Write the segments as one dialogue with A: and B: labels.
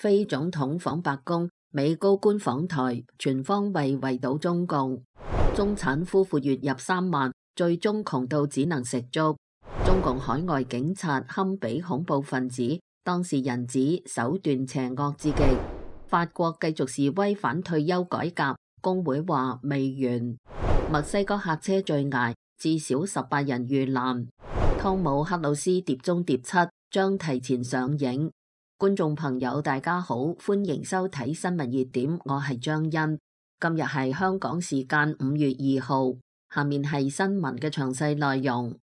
A: 非總統訪白宮，美高官訪台，全方位圍堵中共。中產夫婦月入3萬，最終窮到只能食粥。中共海外警察堪比恐怖分子，當事人指手段邪惡至極。法國繼續示威反退休改革，工會話未完。墨西哥客車墜崖，至少18人遇難。湯姆克魯斯碟中諜7將提前上映。觀眾朋友大家好，歡迎收睇新聞熱點，我係張欣。今日係香港時間5月2號，下面係新聞嘅詳細內容。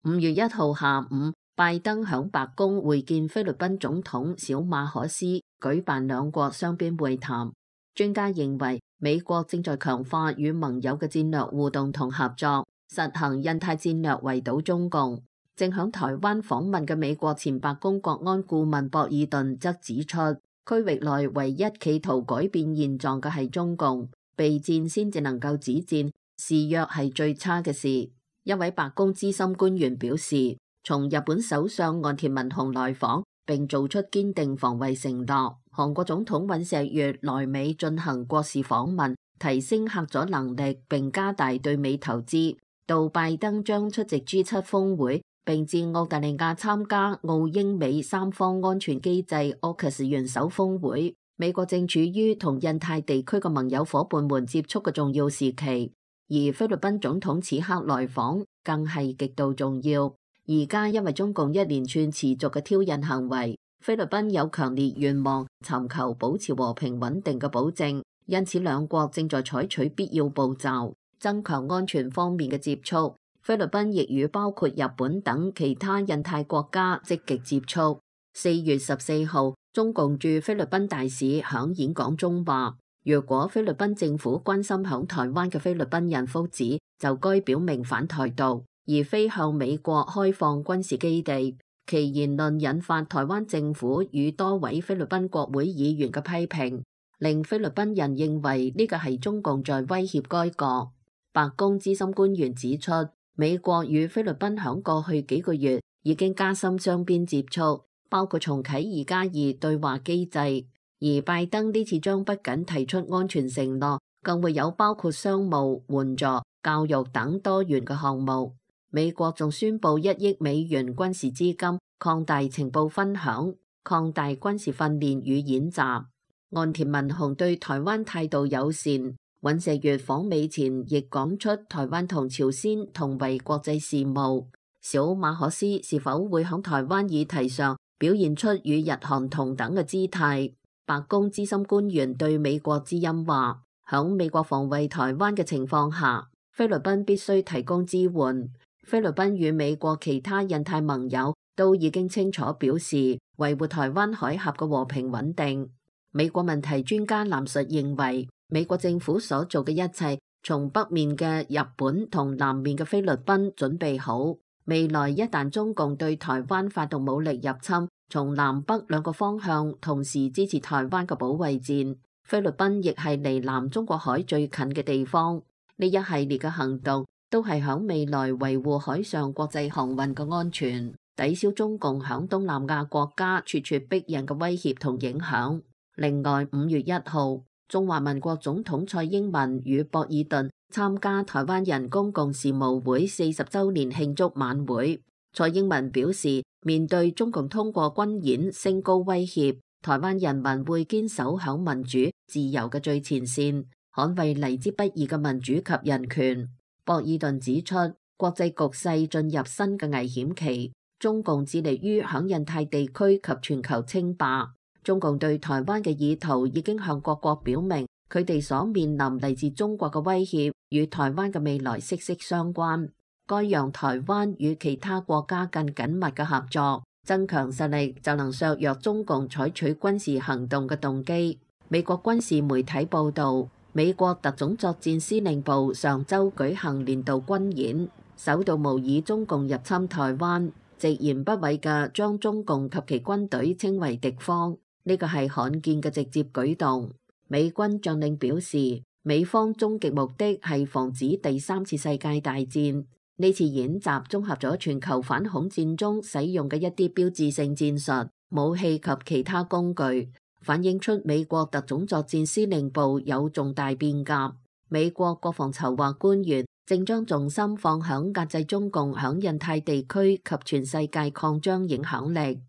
A: 5月1號下午，拜登響白宮會見菲律賓總統小馬可斯，舉辦兩國雙邊會談。專家認為，美國正在強化與盟友嘅戰略互動同合作，實行印太戰略圍堵中共。正響台灣訪問嘅美國前白宮國安顧問博爾頓則指出，區域內唯一企圖改變現狀嘅係中共，備戰先至能夠止戰，示弱係最差嘅事。一位白宮資深官員表示，從日本首相岸田文雄來訪並做出堅定防衛承諾，韓國總統尹錫悅來美進行國事訪問，提升嚇阻能力並加大對美投資。到拜登將出席 G7 峰會，並至澳大利亞參加澳英美三方安全機制 AUKUS 元首峰會。美國正處於同印太地區嘅盟友伙伴們接觸嘅重要時期，而菲律賓總統此刻來訪更係極度重要。而家因為中共一連串持續嘅挑釁行為，菲律賓有強烈願望尋求保持和平穩定嘅保證，因此兩國正在採取必要步驟，增強安全方面嘅接觸。菲律賓亦與包括日本等其他印太國家積極接觸。4月14號，中共駐菲律賓大使響演講中話，如果菲律賓政府關心響台灣嘅菲律賓人福祉，就該表明反台獨，而非向美國開放軍事基地。其言論引發台灣政府與多位菲律賓國會議員嘅批評，令菲律賓人認為呢個係中共在威脅該國。白宮資深官員指出，美國與菲律賓響過去幾個月已經加深雙邊接觸，包括重啟2+2對話機制。而拜登呢次將不僅提出安全承諾，更會有包括商務、援助、教育等多元嘅項目。美國仲宣布1億美元軍事資金，擴大情報分享，擴大軍事訓練與演習。岸田文雄對台灣態度友善。尹錫悅訪美前亦講出台灣同朝鮮同為國際事務。小馬可斯是否會喺台灣議題上表現出與日韓同等嘅姿態？白宮資深官員對美國之音話，響美國防衛台灣嘅情況下，菲律賓必須提供支援。菲律賓與美國其他印太盟友都已經清楚表示維護台灣海峽嘅和平穩定。美國問題專家藍述認為，美國政府所做嘅一切，從北面嘅日本同南面嘅菲律賓準備好，未來一旦中共對台灣發動武力入侵，從南北兩個方向同時支持台灣嘅保衛戰。菲律賓亦係離南中國海最近嘅地方，呢一系列嘅行動都係響未來維護海上國際航運嘅安全，抵消中共響東南亞國家咄咄逼人嘅威脅同影響。另外，5月1號，中華民國總統蔡英文與博爾頓參加台灣人公共事務會40週年慶祝晚會。蔡英文表示，面對中共通過軍演升高威脅，台灣人民會堅守響民主自由嘅最前線，捍衛嚟之不易嘅民主及人權。博爾頓指出，國際局勢進入新嘅危險期，中共致力於響印太地區及全球稱霸。中共對台灣嘅意圖已經向各國表明，佢哋所面臨嚟自中國嘅威脅與台灣嘅未來息息相關。該讓台灣與其他國家更緊密嘅合作，增強實力就能削弱中共採取軍事行動嘅動機。美國軍事媒體報導，美國特種作戰司令部上週舉行年度軍演，首度模擬中共入侵台灣，直言不諱嘅將中共及其軍隊稱為敵方。呢個係罕見嘅直接舉動。美軍將領表示，美方終極目的係防止第3次世界大戰。呢次演習綜合咗全球反恐戰中使用嘅一啲標誌性戰術，武器及其他工具，反映出美國特種作戰司令部有重大變革。美國國防籌劃官員正將重心放響壓制中共響印太地區及全世界擴張影響力。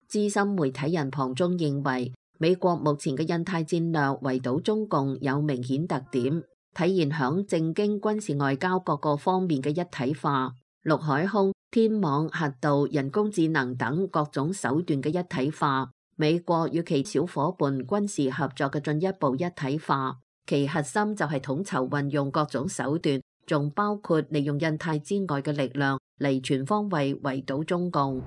A: 資深媒體人龐中認為，美國目前嘅印太戰略圍堵中共有明顯特點，體現響政經軍事外交各個方面嘅一體化，陸海空、天網、核導、人工智能等各種手段嘅一體化，美國與其小伙伴軍事合作嘅進一步一體化，其核心就係統籌運用各種手段，仲包括利用印太之外嘅力量嚟全方位圍堵中共。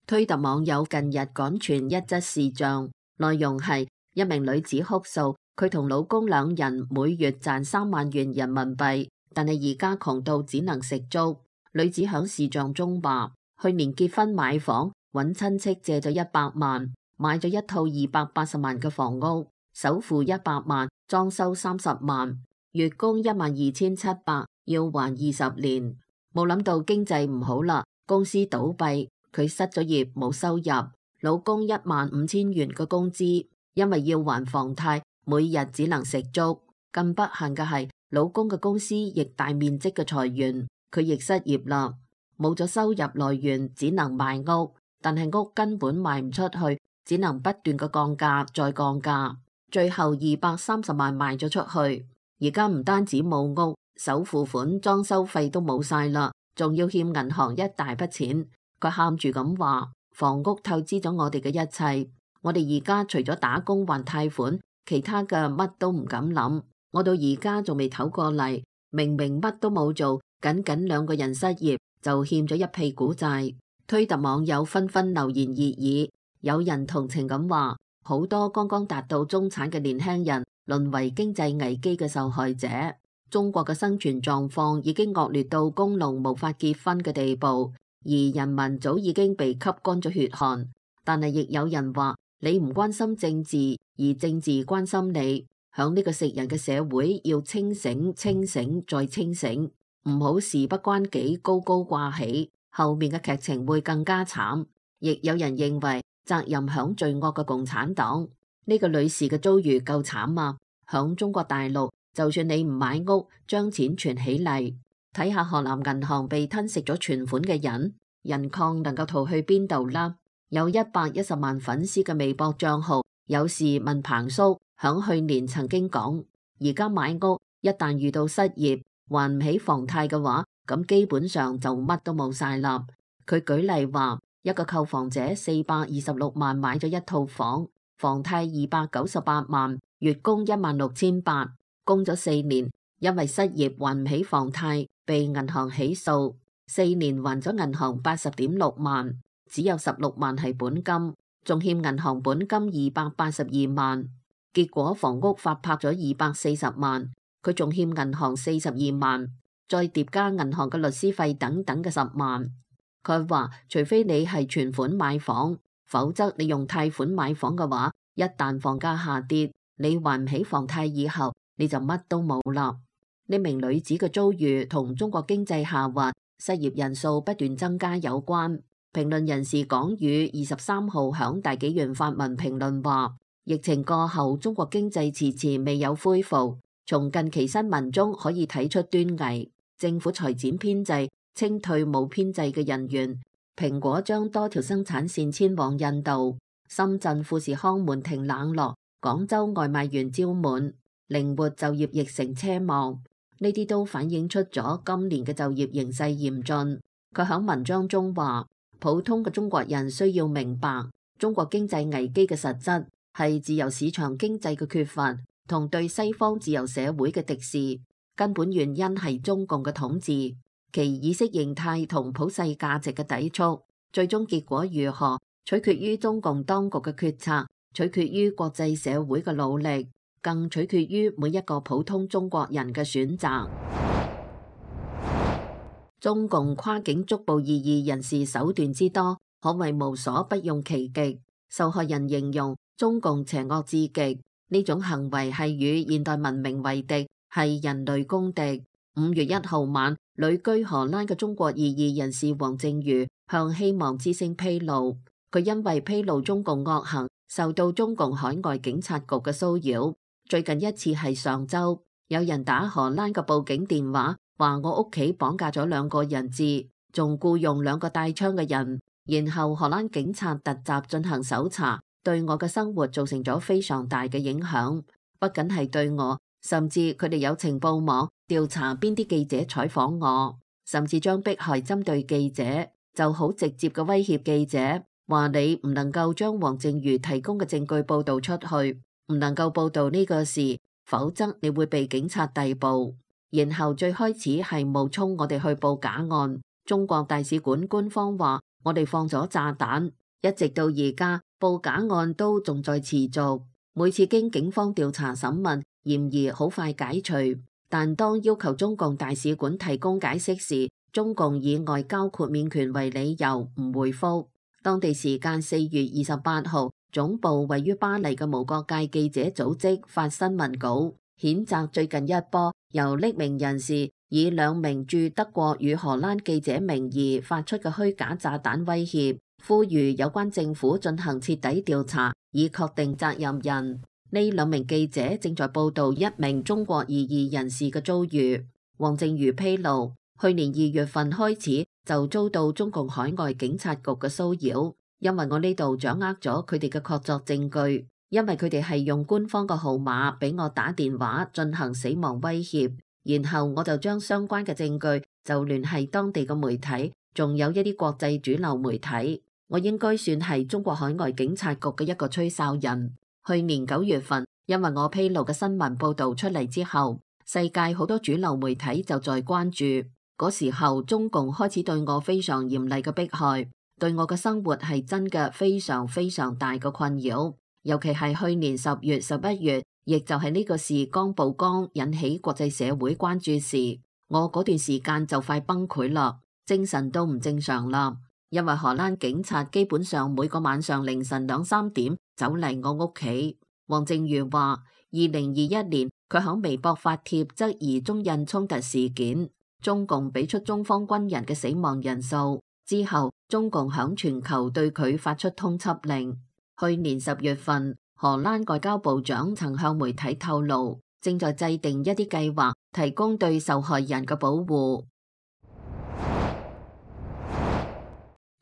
A: 推特網友近日趕傳一則視像，內容係一名女子哭訴，佢同老公兩人每月賺3萬元人民幣，但係而家窮到只能食粥。女子響視像中話，去年結婚買房，揾親戚借咗100萬，買咗一套280萬嘅房屋，首付100萬，裝修30萬，月供12700，要還20年。冇諗到經濟唔好啦，公司倒閉。佢失咗業，冇收入，老公15000元嘅工資，因為要還房貸，每日只能食粥。更不幸嘅係，老公嘅公司亦大面積嘅裁員，佢亦失業啦，冇咗收入來源，只能賣屋，但係屋根本賣唔出去，只能不斷嘅降價再降價，最後230萬賣咗出去。而家唔單止冇屋，首付款、裝修費都冇晒啦，仲要欠銀行一大筆錢。佢喊住咁話，房屋透支咗我哋嘅一切，我哋而家除咗打工還貸款，其他嘅乜都唔敢諗。我到而家仲未唞過嚟，明明乜都冇做，僅僅2個人失業就欠咗一屁股債。推特網友紛紛留言熱議，有人同情咁話，好多剛剛達到中產嘅年輕人淪為經濟危機嘅受害者。中國嘅生存狀況已經惡劣到工農無法結婚嘅地步。而人民早已經被吸乾咗血汗，但係亦有人話，你唔關心政治，而政治關心你。響呢個食人嘅社會，要清醒、清醒再清醒，唔好事不關己高高掛起，後面嘅劇情會更加慘。亦有人認為責任響罪惡嘅共產黨。呢個女士嘅遭遇夠慘啊！響中國大陸，就算你唔買屋，將錢存起嚟。睇下河南銀行被吞食咗存款嘅人礦能夠逃去邊度啦？有110萬粉絲嘅微博賬號有事問彭叔，響去年曾經講，而家買屋一旦遇到失業還唔起房貸嘅話，咁基本上就乜都冇晒啦。佢舉例話，一個購房者426萬買咗一套房，房貸298萬，月供16800，供咗4年，因為失業還唔起房貸，被銀行起訴，4年還咗銀行80.6萬，只有16萬係本金，仲欠銀行本金282萬。結果房屋法拍咗240萬，佢仲欠銀行42萬，再疊加銀行嘅律師費等等嘅10萬。佢話，除非你係存款買房，否則你用貸款買房嘅話，一旦房價下跌，你還唔起房貸以後，你就乜都冇啦。呢名女子嘅遭遇同中國經濟下滑、失業人數不斷增加有關。評論人士港宇23號響大紀元發文評論話，疫情過後中國經濟遲遲未有恢復，從近期新聞中可以睇出端倪。政府裁減編制，清退冇編制嘅人員，蘋果將多條生產線遷往印度，深圳富士康門庭冷落，廣州外賣員招滿，靈活就業亦成奢望。呢啲都反映出咗今年嘅就業形勢嚴峻。佢喺文章中話，普通嘅中國人需要明白，中國經濟危機嘅實質係自由市場經濟嘅缺乏同對西方自由社會嘅敵視，根本原因係中共嘅統治，其意識形態同普世價值嘅抵觸。最終結果如何，取決於中共當局嘅決策，取決於國際社會嘅努力，更取決於每一個普通中國人嘅選擇。中共跨境捉捕異議人士手段之多，可謂無所不用其極。受害人形容中共邪惡至極，呢種行為係與現代文明為敵，係人類公敵。5月1號晚，旅居荷蘭嘅中國異議人士黃正瑜向希望之聲披露，佢因為披露中共惡行，受到中共海外警察局嘅騷擾。最近一次係上週，有人打荷蘭嘅報警電話，話我屋企綁架咗2個人質，仲僱用2個帶槍嘅人。然後荷蘭警察突襲進行搜查，對我嘅生活造成咗非常大嘅影響。不僅係對我，甚至佢哋有情報網調查邊啲記者採訪我，甚至將迫害針對記者，就好直接嘅威脅記者，話你唔能夠將黃正瑜提供嘅證據報導出去，唔能夠報導呢個事，否則你會被警察逮捕。然後最開始係冒充我哋去報假案，中國大使館官方話我哋放咗炸彈，一直到而家報假案都仲在持續。每次經警方調查審問，嫌疑好快解除，但當要求中共大使館提供解釋時，中共以外交豁免權為理由唔回覆。當地時間4月28號，總部位於巴黎嘅無國界記者組織發新聞稿，譴責最近一波由匿名人士以2名駐德國與荷蘭記者名義發出嘅虛假炸彈威脅，呼籲有關政府進行徹底調查，以確定責任人。呢2名記者正在報導1名中國異議人士嘅遭遇。黃正瑜披露，去年2月份開始就遭到中共海外警察局嘅騷擾，因為我呢度掌握咗佢哋嘅確鑿證據，因為佢哋係用官方嘅號碼俾我打電話進行死亡威脅，然後我就將相關嘅證據就聯繫當地嘅媒體，仲有一啲國際主流媒體。我應該算係中國海外警察局嘅一個吹哨人。去年9月份，因為我披露嘅新聞報導出嚟之後，世界好多主流媒體就在關注。嗰時候，中共開始對我非常嚴厲嘅迫害，對我嘅生活係真嘅非常非常大嘅困擾。尤其係去年10月、11月，亦就係呢個事剛曝光引起國際社會關注時，我嗰段時間就快崩潰啦，精神都唔正常啦。因為荷蘭警察基本上每個晚上凌晨2、3點走嚟我屋企。黃正瑜話，2021年佢響微博發帖質疑中印衝突事件，中共俾出中方軍人嘅死亡人數之後，中共響全球對佢發出通緝令。去年10月份，荷蘭外交部長曾向媒體透露，正在制定一啲計劃，提供對受害人嘅保護。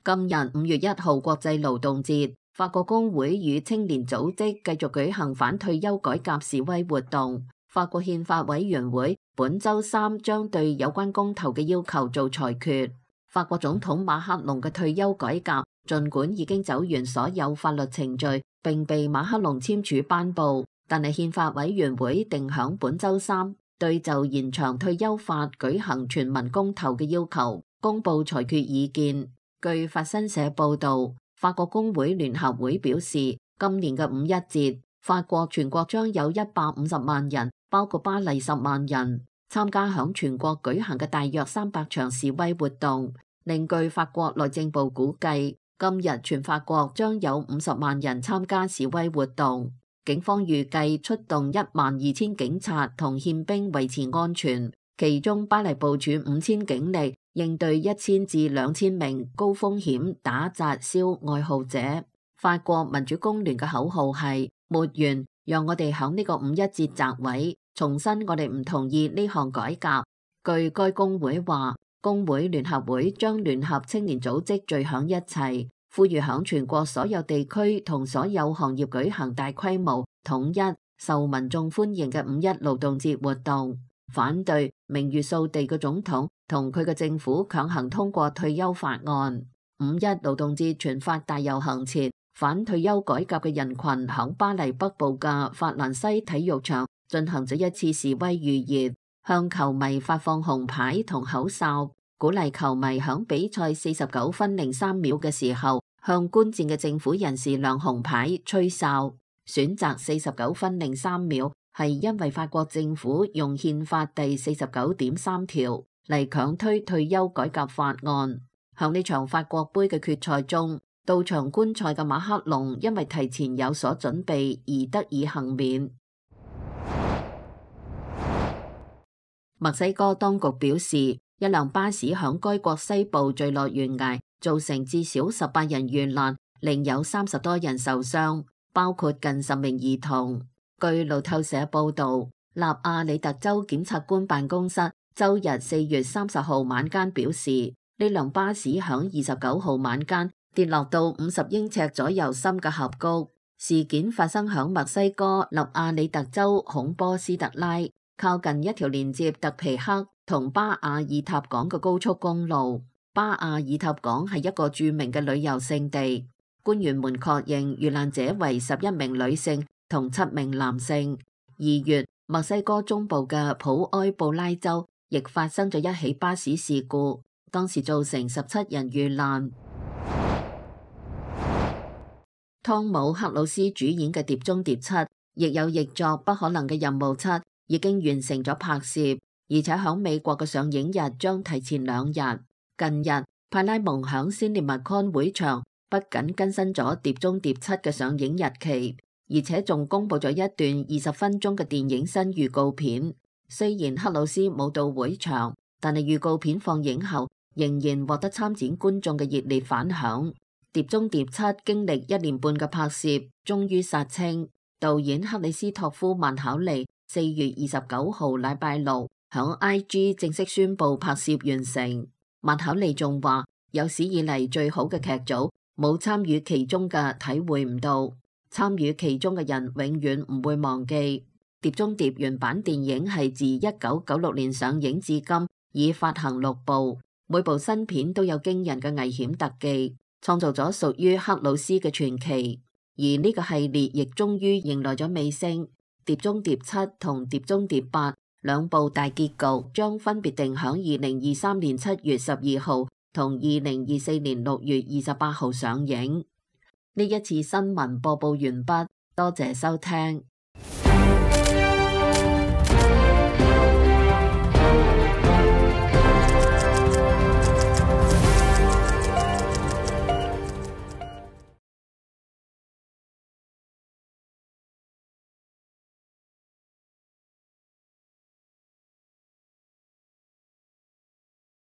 A: 今日5月1號國際勞動節，法國工會與青年組織繼續舉行反退休改革示威活動。法國憲法委員會本週3將對有關公投嘅要求做裁決。法國總統馬克龍嘅退休改革，儘管已經走完所有法律程序並被馬克龍簽署頒布，但係憲法委員會定響本週3對就延長退休法舉行全民公投嘅要求公佈裁決意見。據法新社報導，法國工會聯合會表示，今年嘅5·1節，法國全國將有150萬人，包括巴黎10萬人，參加響全國舉行嘅大約300場示威活動。另據法國內政部估計，今日全法國將有50萬人參加示威活動。警方預計出動12000警察同憲兵維持安全，其中巴黎部署5000警力，應對1000至2000名高風險打砸燒愛好者。法國民主工聯嘅口號係沒完，讓我哋響呢個5·1節集會重申我哋唔同意呢項改革。據該工會話，工會聯合會將聯合青年組織聚響一齊，呼籲響全國所有地區同所有行業舉行大規模統一受民眾歡迎嘅5·1勞動節活動，反對名譽掃地嘅總統同佢嘅政府強行通過退休法案。5·1勞動節全法大遊行前，反退休改革嘅人群響巴黎北部嘅法蘭西體育場進行咗一次示威預熱，向球迷發放紅牌同口哨，鼓勵球迷響比賽49分03秒嘅時候向觀戰嘅政府人士亮紅牌、吹哨。選擇49分03秒係因為法國政府用憲法第49.3條嚟強推退休改革法案。響呢場法國盃嘅決賽中，到場觀賽嘅馬克龍因為提前有所準備而得以幸免。墨西哥當局表示，一輛巴士響該國西部墜落懸崖，造成至少18人遇難，另有30多人受傷，包括近10名兒童。據路透社報導，納亞里特州檢察官辦公室周日4月30號晚間表示，呢輛巴士響29號晚間跌落到50英尺左右深嘅峽谷。事件發生響墨西哥納亞里特州孔波斯特拉，靠近一條連接特皮克同巴亞爾塔港嘅高速公路。巴亞爾塔港係一個著名嘅旅遊勝地。官員們確認遇難者為11名女性同7名男性。2月，墨西哥中部嘅普埃布拉州亦發生咗一起巴士事故，當時造成17人遇難。湯姆克魯斯主演嘅《碟中諜7》亦有譯作《不可能嘅任務7》，已經完成咗拍攝，而且響美國嘅上映日將提前2日。近日，派拉蒙響 CinemaCon 會場不僅更新咗《碟中諜7》嘅上映日期，而且仲公布咗一段20分鐘嘅電影新預告片。雖然克魯斯冇到會場，但係預告片放映後仍然獲得參展觀眾嘅熱烈反響。《碟中諜7》經歷1年半嘅拍攝，終於殺青。導演克里斯托夫曼考利4月29號禮拜六響 IG 正式宣布拍攝完成。曼考利仲話，有史以嚟最好嘅劇組，冇參與其中嘅體會唔到，參與其中嘅人永遠唔會忘記。《碟中諜》原版電影係自1996年上映至今，已發行6部，每部新片都有驚人嘅危險特技，創造咗屬於克魯斯嘅傳奇。而呢個系列亦終於迎來咗尾聲，《碟中諜7》同《碟中諜8》兩部大結局將分別定響2023年7月12號同2024年6月28號上映。呢一次新聞播報完畢，多謝收聽。